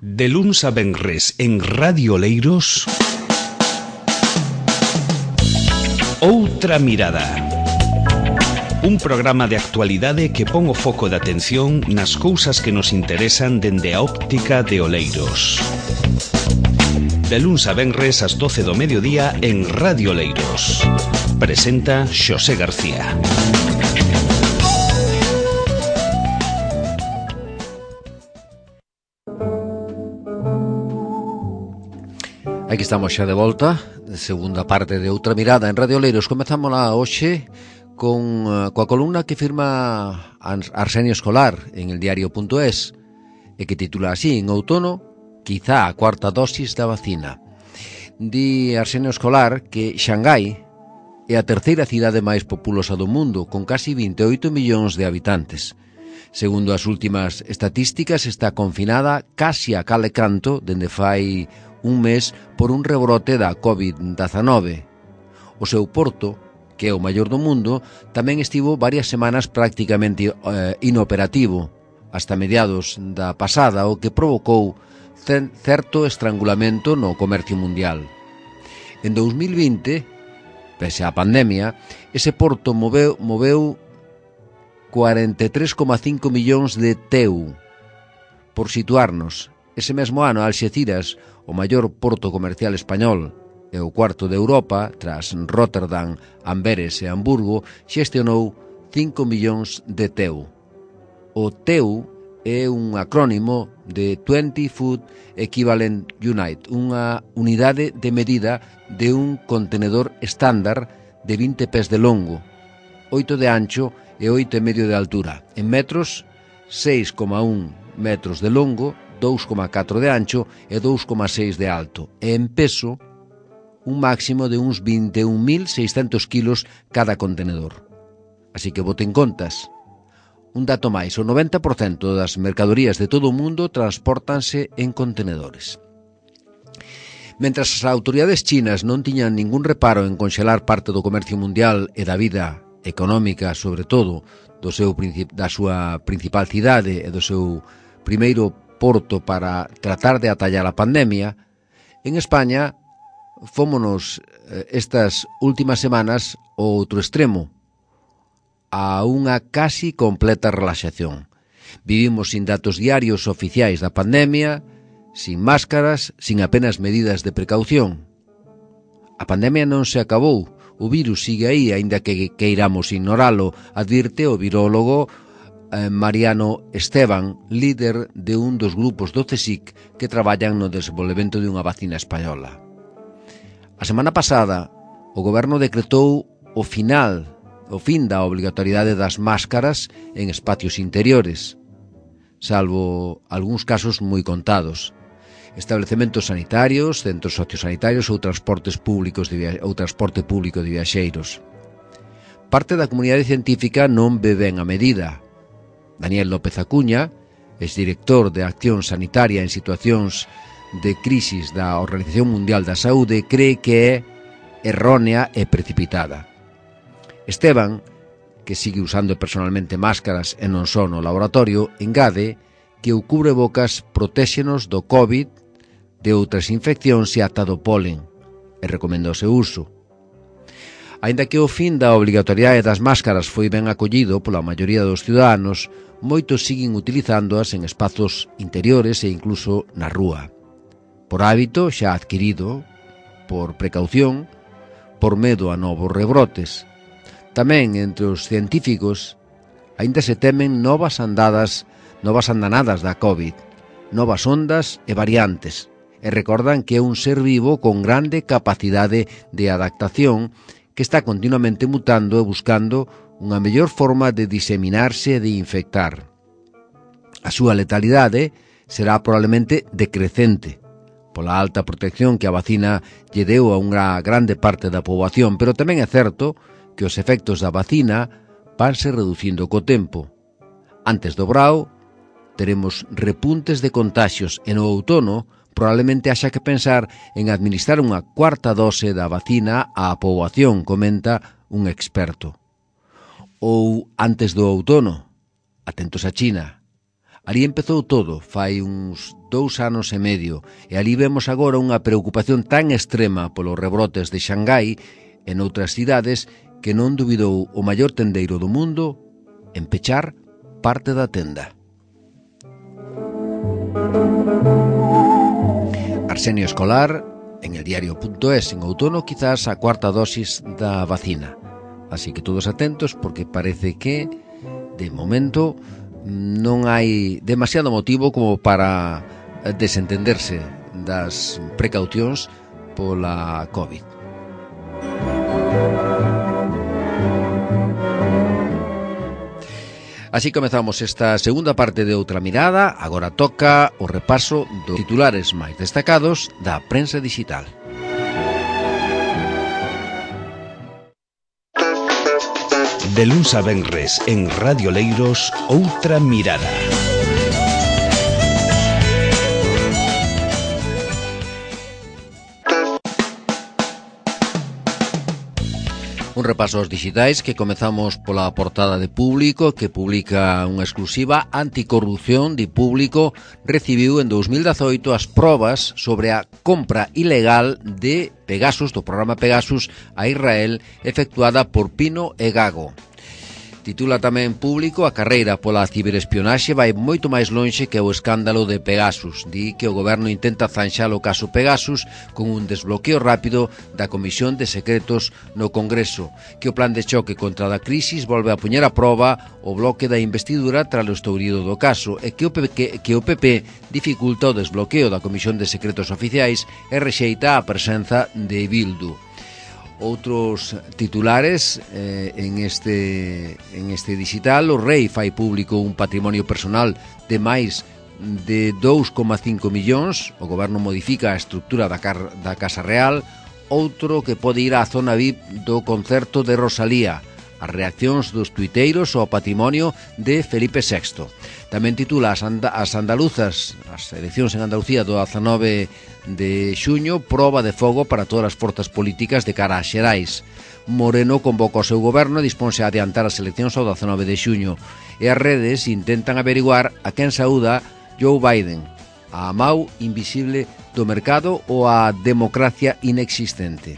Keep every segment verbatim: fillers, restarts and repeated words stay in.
De luns a venres en Radio Oleiros, Outra Mirada. Un programa de actualidade que pon o foco de atención nas cousas que nos interesan dende a óptica de Oleiros. De luns a venres ás doce do mediodía en Radio Oleiros. Presenta Xosé García. Aquí estamos xa de volta, segunda parte de Outra Mirada en Radio Oleiros. Comezamos lá hoxe con, coa columna que firma Arsenio Escolar en el diario punto es e que titula así: en outono, quizá a cuarta dosis da vacina. Di Arsenio Escolar que Xangai é a terceira cidade máis populosa do mundo, con casi vinte e oito millóns de habitantes. Segundo as últimas estatísticas, está confinada casi a cal e canto dende fai un mes por un rebrote da covid dezenove. O seu porto, que é o maior do mundo, tamén estivo varias semanas prácticamente eh, inoperativo, hasta mediados da pasada, o que provocou certo estrangulamento no comercio mundial. En dous mil vinte, pese á pandemia, ese porto moveu, moveu cuarenta e tres coma cinco millóns de T E U. Por situarnos, ese mesmo ano Alxeciras, o maior porto comercial español e o cuarto de Europa, tras Rotterdam, Amberes e Hamburgo, xestionou cinco millóns de T E U. O T E U é un acrónimo de twenty Foot Equivalent Unit, unha unidade de medida de un contenedor estándar de vinte pés de longo, oito de ancho e oito e medio de altura. En metros, seis coma un metros de longo, dous coma catro de ancho e dous coma seis de alto. E en peso, un máximo de uns vinte e un mil seiscentos kilos cada contenedor. Así que boten contas. Un dato máis, o noventa por cento das mercadorías de todo o mundo transpórtanse en contenedores. Mentras as autoridades chinas non tiñan ningún reparo en conxelar parte do comercio mundial e da vida económica, sobre todo, do seu, da súa principal cidade e do seu primeiro porto para tratar de atallar a pandemia, en España fómonos estas últimas semanas ao outro extremo, a unha casi completa relaxación. Vivimos sin datos diarios oficiais da pandemia, sin máscaras, sin apenas medidas de precaución. A pandemia non se acabou, o virus sigue aí, aínda que queiramos ignoralo, advirte o virólogo Mariano Esteban, líder de un dos grupos do CSIC que traballan no desenvolvemento de unha vacina española. A semana pasada, o goberno decretou o final, o fin da obrigatoriedade das máscaras en espacios interiores, salvo algúns casos moi contados. Establecementos sanitarios, centros sociosanitarios ou transportes públicos de via... ou transporte público de viaxeiros. Parte da comunidade científica non ve ben a medida. Daniel López Acuña, exdirector de Acción Sanitaria en situacións de crisis da Organización Mundial da Saúde, cree que é errónea e precipitada. Esteban, que sigue usando personalmente máscaras e non só no laboratorio, engade que o cubrebocas protéxenos do COVID, de outras infeccións e ata do polen, e recomenda o seu uso. Aínda que o fin da obrigatoriedade das máscaras foi ben acollido pola maioría dos ciudadanos, moitos siguen utilizándoas en espazos interiores e incluso na rúa. Por hábito xa adquirido, por precaución, por medo a novos rebrotes. Tamén entre os científicos aínda se temen novas andadas, novas andanadas da COVID, novas ondas e variantes, e recordan que é un ser vivo con grande capacidade de adaptación que está continuamente mutando e buscando unha mellor forma de diseminarse e de infectar. A súa letalidade será probablemente decrecente, pola alta protección que a vacina lle deu a unha grande parte da poboación, pero tamén é certo que os efectos da vacina vanse reducindo co tempo. Antes do brao, teremos repuntes de contaxios e no outono probablemente haxa que pensar en administrar unha cuarta dose da vacina á poboación, comenta un experto. Ou antes do outono, atentos a China, Ali empezou todo, fai uns dous anos e medio, e ali vemos agora unha preocupación tan extrema polos rebrotes de Xangai e noutras cidades que non dubidou o maior tendeiro do mundo en pechar parte da tenda. Arsenio Escolar, en el diario punto es, en outono quizás a cuarta dosis da vacina. Así que todos atentos porque parece que, de momento, non hai demasiado motivo como para desentenderse das precaucións pola COVID. Así comezamos esta segunda parte de Outra Mirada. Agora toca o repaso dos titulares máis destacados da prensa digital. De luns a venres en Radio Leiros, Outra Mirada. Un repaso aos digitais que comezamos pola portada de Público, que publica unha exclusiva. Anticorrupción de Público recibiu en dous mil dezoito as probas sobre a compra ilegal de Pegasus, do programa Pegasus, a Israel, efectuada por Pino e Gago. Titula tamén Público: a carreira pola ciberespionaxe vai moito máis lonxe que o escándalo de Pegasus. Di que o goberno intenta zanxar o caso Pegasus con un desbloqueo rápido da Comisión de Secretos no Congreso, que o plan de choque contra a crisis volve a poñer a proba o bloque da investidura tras o estourido do caso, e que o P P, que o P P dificulta o desbloqueo da Comisión de Secretos Oficiais e rexeita a presenza de Bildu. Outros titulares eh, en este en este digital: o Rei fai público un patrimonio personal de máis de dous coma cinco millóns, o goberno modifica a estrutura da, car, da Casa Real. Outro que pode ir á zona V I P do concerto de Rosalía, as reaccións dos tuiteiros ao patrimonio de Felipe sexto. Tamén titula as, anda, as andaluzas, as eleccións en Andalucía do dezanove de xuño, proba de fogo para todas as forzas políticas de cara a xerais. Moreno convoca o seu goberno e disponse a adiantar as eleccións ao dezanove de xuño, e as redes intentan averiguar a quen saúda Joe Biden, a Mau invisible do mercado ou a democracia inexistente.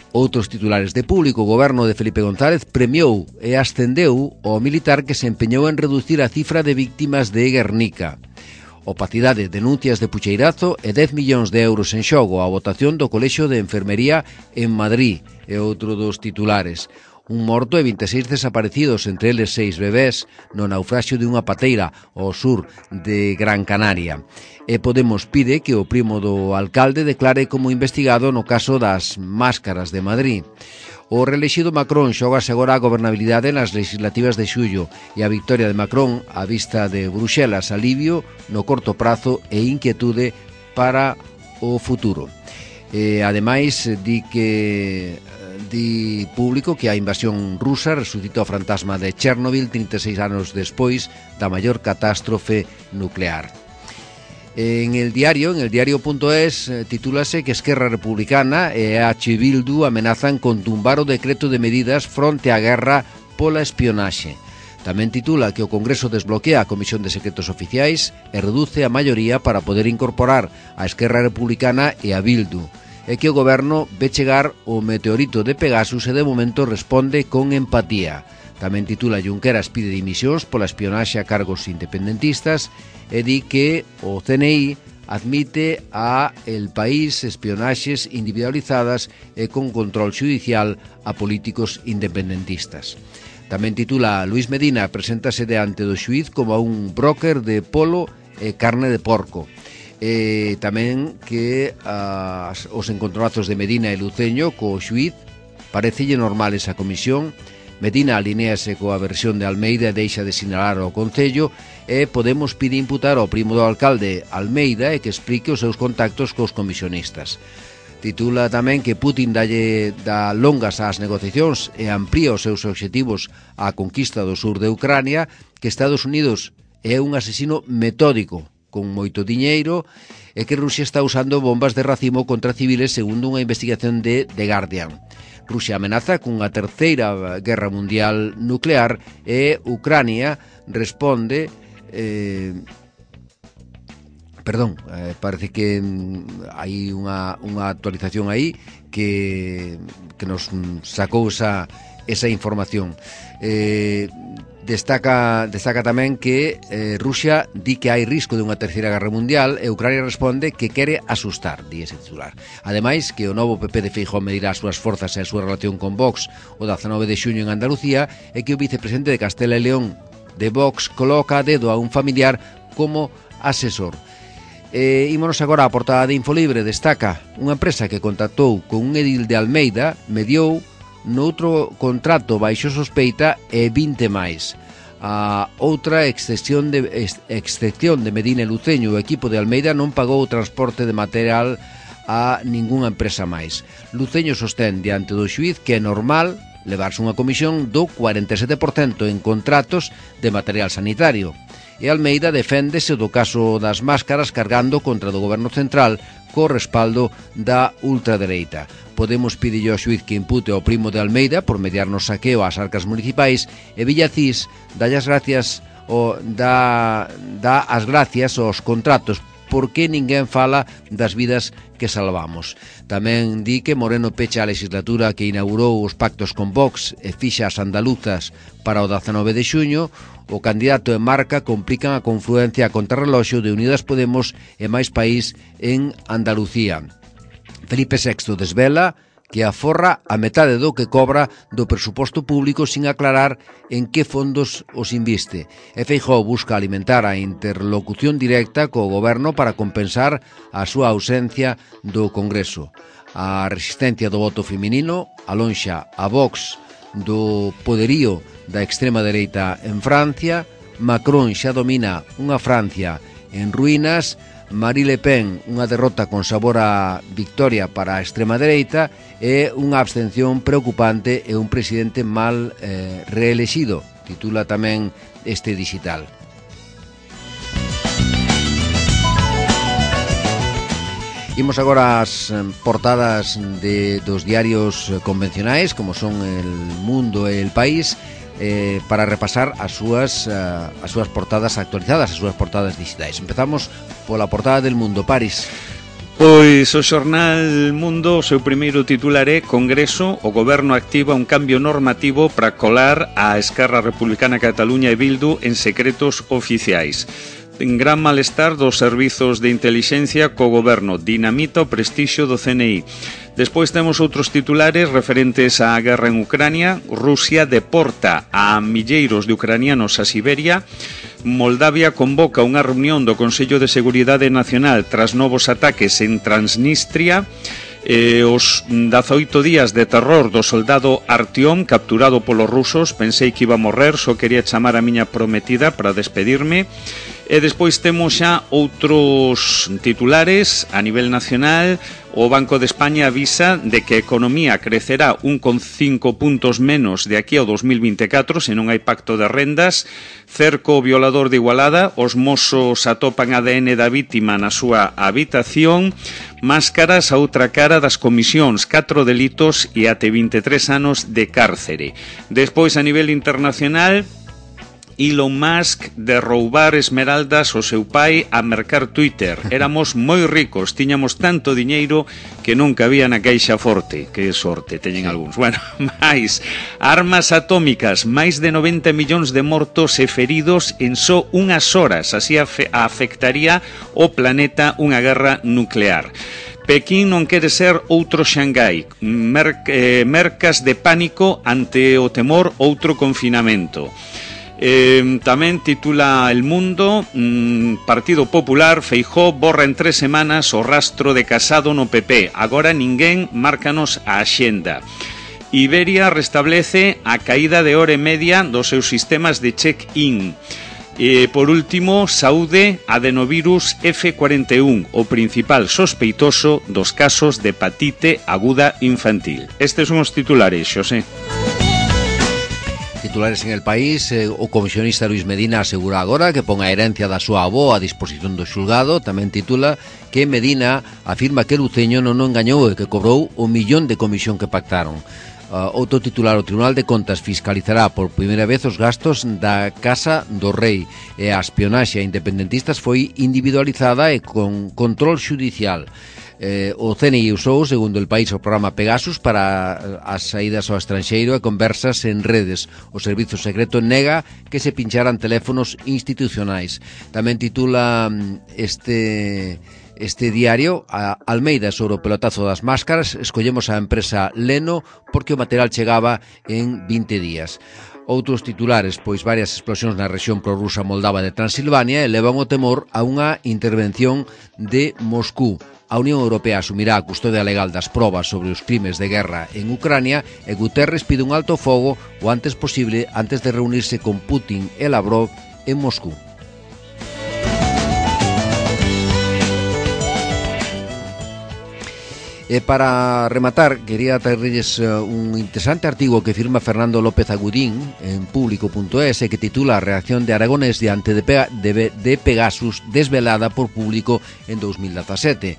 Outros titulares de Público: o goberno de Felipe González premiou e ascendeu ao militar que se empeñou en reducir a cifra de víctimas de Guernica. Opacidade, denuncias de pucheirazo e dez millóns de euros en xogo. A votación do Colexio de Enfermería en Madrid é outro dos titulares. Un morto e vinte e seis desaparecidos, entre eles seis bebés, no naufraxio de unha pateira ao sur de Gran Canaria. E Podemos pide que o primo do alcalde declare como investigado no caso das máscaras de Madrid. O reelexido Macron xógase agora a gobernabilidade nas legislativas de xullo, e a victoria de Macron á vista de Bruxelas, alivio no corto prazo e inquietude para o futuro. E, ademais, di que di Público que a invasión rusa resucita o fantasma de Chernobyl trinta e seis anos despois da maior catástrofe nuclear. En el diario, en el diario punto es, titúlase que Esquerra Republicana e H. Bildu amenazan con tumbar o decreto de medidas fronte á guerra pola espionaxe. Tamén titula que o Congreso desbloquea a Comisión de Secretos Oficiais e reduce a maioría para poder incorporar a Esquerra Republicana e a Bildu, e que o goberno ve chegar o meteorito de Pegasus e de momento responde con empatía. Tamén titula Junqueras pide dimisións pola espionaxe a cargos independentistas e di que o C N I admite a El País espionaxes individualizadas e con control xudicial a políticos independentistas. Tamén titula Luis Medina preséntase diante do xuíz como un broker de polo e carne de porco. E tamén que as, os encontronazos de Medina e Luceño co xuíz parecelle normal esa comisión. Medina alinéase coa versión de Almeida e deixa de sinalar ao Concello, e Podemos pide imputar ao primo do alcalde Almeida e que explique os seus contactos cos comisionistas. Titula tamén que Putin dalle dá longas ás negociacións e amplía os seus obxectivos á conquista do sur de Ucrania, que Estados Unidos é un asesino metódico con moito diñeiro e que Rusia está usando bombas de racimo contra civiles, segundo unha investigación de The Guardian. Rusia amenaza cunha terceira guerra mundial nuclear e Ucrania responde eh, perdón, eh, parece que mm, hai unha, unha actualización aí que, que nos sacou esa, esa información. eh, Destaca, destaca tamén que eh, Rusia di que hai risco de unha terceira guerra mundial e Ucrania responde que quere asustar, di ese titular. Ademais, que o novo P P de Feijóo medirá as súas forzas e a súa relación con Vox o dezanove de xuño en Andalucía e que o vicepresidente de Castela e León de Vox coloca a dedo a un familiar como asesor. E ímonos agora á portada de Infolibre. Destaca unha empresa que contactou con un edil de Almeida, mediou noutro contrato baixo sospeita e vinte máis. A outra excepción de, excepción de Medina e Luceño, o equipo de Almeida non pagou o transporte de material a ningunha empresa máis. Luceño sostén diante do xuíz que é normal levarse unha comisión do cuarenta e sete por cento en contratos de material sanitario. E Almeida deféndese do caso das máscaras cargando contra do goberno central co respaldo da ultradereita. Podemos pedirlle ao xuíz que impute ao primo de Almeida por mediar no saqueo ás arcas municipais e Villacís dalle as gracias o dá, dá as gracias aos contratos porque ninguén fala das vidas que salvamos. Tamén di que Moreno pecha a legislatura que inaugurou os pactos con Vox e fixa as andaluzas para o dezanove de xuño. O candidato e Marca complican a confluencia a contrarreloxo de Unidas Podemos e Máis País en Andalucía. Felipe sexto desvela que aforra a metade do que cobra do presuposto público sin aclarar en que fondos os inviste. E Feijóo busca alimentar a interlocución directa co goberno para compensar a súa ausencia do Congreso. A resistencia do voto feminino alonxa a Vox do poderío da extrema dereita en Francia. Macron xa domina unha Francia en ruínas. Marine Le Pen, unha derrota con sabor a victoria para a extrema dereita e unha abstención preocupante e un presidente mal eh, reelexido, titula tamén este digital. Imos agora ás portadas de, dos diarios convencionais, como son El Mundo e El País, eh, para repasar as súas, uh, as súas portadas actualizadas, as súas portadas digitais. Empezamos pola portada del Mundo. Paris. Pois o xornal Mundo, o seu primeiro titular é Congreso, o Goberno activa un cambio normativo para colar a Esquerra Republicana Cataluña e Bildu en secretos oficiais. En gran malestar dos servizos de intelixencia co goberno, dinamita o prestixio do C N I. Despois temos outros titulares referentes á guerra en Ucrania. Rusia deporta a milleiros de ucranianos a Siberia. Moldavia convoca unha reunión do Consello de Seguridade Nacional tras novos ataques en Transnistria. Eh, os dezaoito días de terror do soldado Artyom capturado polos rusos. Pensei que iba a morrer, só quería chamar a miña prometida para despedirme. E despois temos xa outros titulares a nivel nacional. O Banco de España avisa de que a economía crecerá un coma cinco puntos menos de aquí ao dos mil vinte e catro se non hai pacto de rendas. Cerco o violador de Igualada. Os mozos atopan A D N da vítima na súa habitación. Máscaras a outra cara das comisións, catro delitos e até vinte e tres anos de cárcere. Despois a nivel internacional, Elon Musk de roubar esmeraldas ao seu pai a mercar Twitter. Éramos moi ricos, tiñamos tanto diñeiro que non cabía na caixa forte. Que sorte teñen algúns. Bueno, máis armas atómicas, máis de noventa millóns de mortos e feridos en só unhas horas. Así afectaría o planeta unha guerra nuclear. Pekín non quere ser outro Xangai. Mer eh, mercas de pánico ante o temor outro confinamento. Eh, tamén titula El Mundo, mm, Partido Popular, Feijóo borra en tres semanas o rastro de Casado no P P. Agora ninguén márcanos a axenda. Iberia restablece a caída de hora e media dos seus sistemas de check-in. E, por último, saúde, adenovirus F cuarenta e un, o principal sospeitoso dos casos de hepatite aguda infantil. Estes son os titulares, Xosé. Titulares en El País, eh, o comisionista Luis Medina asegura agora que pon a herencia da súa avó a disposición do xulgado. Tamén titula que Medina afirma que Luceño non o engañou e que cobrou o millón de comisión que pactaron. Uh, outro titular: o Tribunal de Contas fiscalizará por primeira vez os gastos da Casa do Rei e a espionaxe a independentistas foi individualizada e con control xudicial. Eh, o C N I usou, segundo El País, o programa Pegasus para as saídas ao estranxeiro e conversas en redes. O Servizo Secreto nega que se pincharan teléfonos institucionais. Tamén titula este... Este diario, a Almeida, sobre o pelotazo das máscaras, escollemos a empresa Leno porque o material chegaba en vinte días. Outros titulares, pois varias explosións na rexión prorrusa moldava de Transilvania elevan o temor a unha intervención de Moscú. A Unión Europea asumirá a custodia legal das probas sobre os crimes de guerra en Ucrania e Guterres pide un alto fogo o antes posible antes de reunirse con Putin e Lavrov en Moscú. E para rematar, quería traerles un interesante artigo que firma Fernando López Agudín en público punto es e que titula A reacción de Aragonés diante de, Pega, de, de Pegasus desvelada por Público en dos mil dezasete.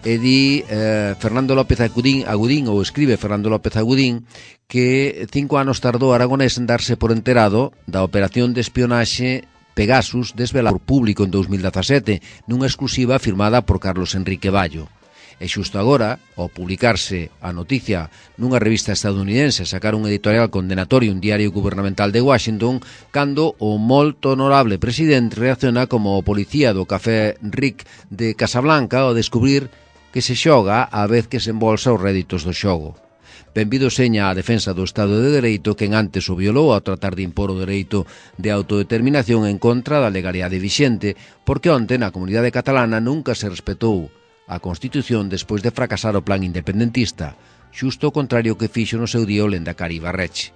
E di eh, Fernando López Agudín, Agudín, ou escribe Fernando López Agudín, que cinco anos tardou Aragonés en darse por enterado da operación de espionaxe Pegasus desvelada por Público en dos mil dezasete, nunha exclusiva firmada por Carlos Enrique Ballo. E xusto agora, ao publicarse a noticia nunha revista estadounidense, sacar un editorial condenatorio un diario gubernamental de Washington, cando o molto honorable presidente reacciona como o policía do Café Rick de Casablanca ao descubrir que se xoga á vez que se embolsa os réditos do xogo. Benvido seña a defensa do Estado de Dereito quen antes o violou ao tratar de impor o dereito de autodeterminación en contra da legalidade vixente, porque onte na comunidade catalana nunca se respetou a Constitución despois de fracasar o plan independentista, xusto o contrario que fixo no seu día o Lendakari Ibarretxe.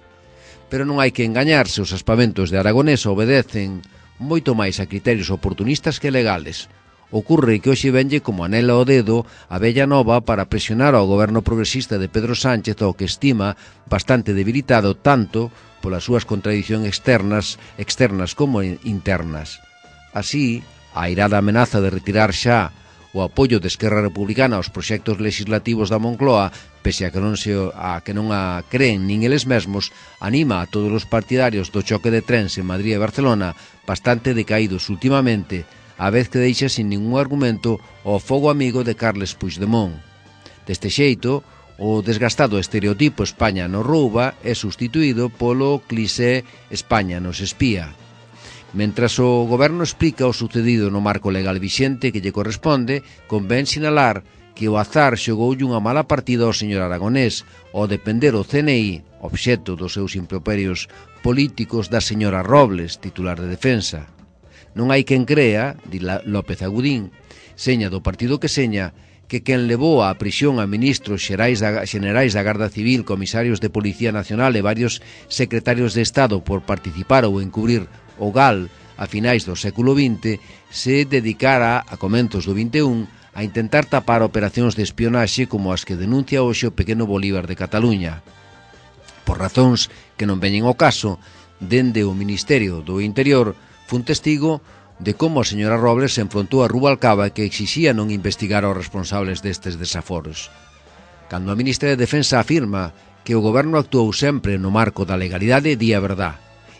Pero non hai que engañarse, os aspamentos de Aragonés obedecen moito máis a criterios oportunistas que legales. Ocurre que hoxe venlle como anela ao dedo a vella nova para presionar ao goberno progresista de Pedro Sánchez, ao que estima bastante debilitado tanto polas súas contradicións externas, externas como internas. Así, a airada amenaza de retirar xa o apoio de Esquerra Republicana aos proxectos legislativos da Moncloa, pese a que non se a que non a creen nin eles mesmos, anima a todos os partidarios do choque de trens en Madrid e Barcelona, bastante decaídos últimamente, a vez que deixa sin ningún argumento o fogo amigo de Carles Puigdemont. Deste xeito, o desgastado estereotipo España nos rouba é sustituído polo cliché España nos espía. Mentras o goberno explica o sucedido no marco legal vixente que lle corresponde, convén sinalar que o azar xogoulle unha mala partida ao señor Aragonés ao depender o C N I, obxecto dos seus improperios políticos, da señora Robles, titular de Defensa. Non hai quen crea, di López Agudín, seña do partido que seña, que quen levou á prisión a ministros xerais da, xenerais da Garda Civil, comisarios de Policía Nacional e varios secretarios de Estado por participar ou encubrir o G A L a finais do século vinte se dedicara a comentos do vinte e un a intentar tapar operacións de espionaxe como as que denuncia hoxe o pequeno Bolívar de Cataluña. Por razóns que non veñen ao caso, dende o Ministerio do Interior fun testigo de como a señora Robles se enfrontou a Rubalcaba que exixía non investigar aos responsables destes desaforos. Cando a ministra de Defensa afirma que o goberno actuou sempre no marco da legalidade, di a verdad.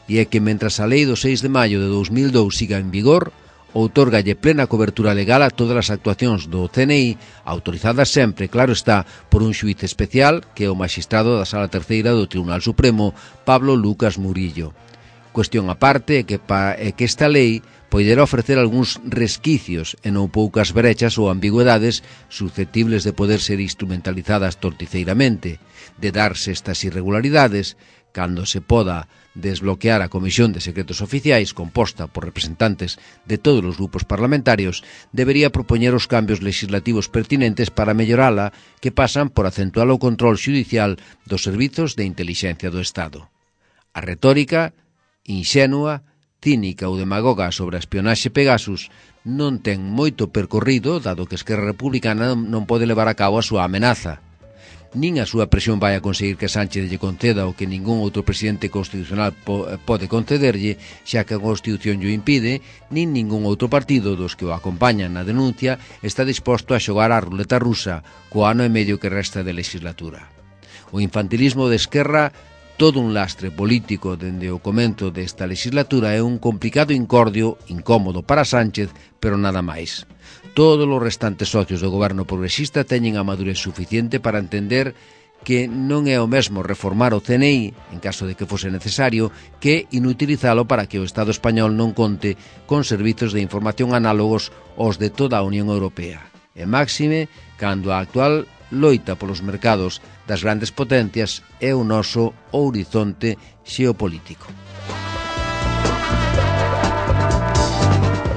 E é que mentras a lei do seis de maio de dos mil dous siga en vigor, outorgalle plena cobertura legal a todas as actuacións do C N I, autorizadas sempre, claro está, por un xuíz especial que é o magistrado da Sala Terceira do Tribunal Supremo, Pablo Lucas Murillo. Cuestión aparte é que, pa, é que esta lei poderá ofrecer algúns resquicios e non poucas brechas ou ambigüedades susceptibles de poder ser instrumentalizadas torticeiramente. De darse estas irregularidades, cando se poda desbloquear a Comisión de Secretos Oficiais, composta por representantes de todos os grupos parlamentarios, debería propoñer os cambios legislativos pertinentes para mellorala, que pasan por acentuar o control xudicial dos servizos de intelixencia do Estado. A retórica, inxenua, cínica ou demagoga sobre a espionaxe Pegasus non ten moito percorrido, dado que Esquerra Republicana non pode levar a cabo a súa amenaza. Nin a súa presión vai a conseguir que Sánchez lle conceda o que ningún outro presidente constitucional po pode concederlle, xa que a Constitución lle impide, nin ningún outro partido dos que o acompañan na denuncia está disposto a xogar a ruleta rusa co ano e medio que resta de legislatura. O infantilismo de Esquerra, todo un lastre político dende o comento desta legislatura, é un complicado incordio, incómodo para Sánchez, pero nada máis. Todos os restantes socios do goberno progresista teñen a madurez suficiente para entender que non é o mesmo reformar o C N I, en caso de que fose necesario, que inutilizalo para que o Estado español non conte con servizos de información análogos aos de toda a Unión Europea. E máxime, cando a actual loita polos mercados das grandes potencias é o noso horizonte xeopolítico.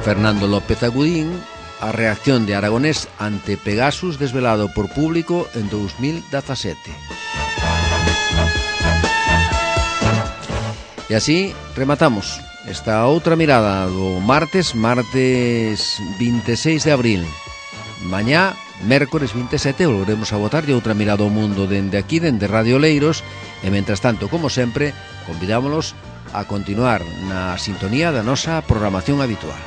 Fernando López Agudín, a reacción de Aragonés ante Pegasus desvelado por Público en dous mil dezasete. E así rematamos esta outra mirada do martes, martes vinte e seis de abril. Mañá, mércores vinte e sete, volveremos a botar de outra mirada ao mundo dende aquí, dende Radio Oleiros, e mentras tanto, como sempre, convidámonos a continuar na sintonía da nosa programación habitual.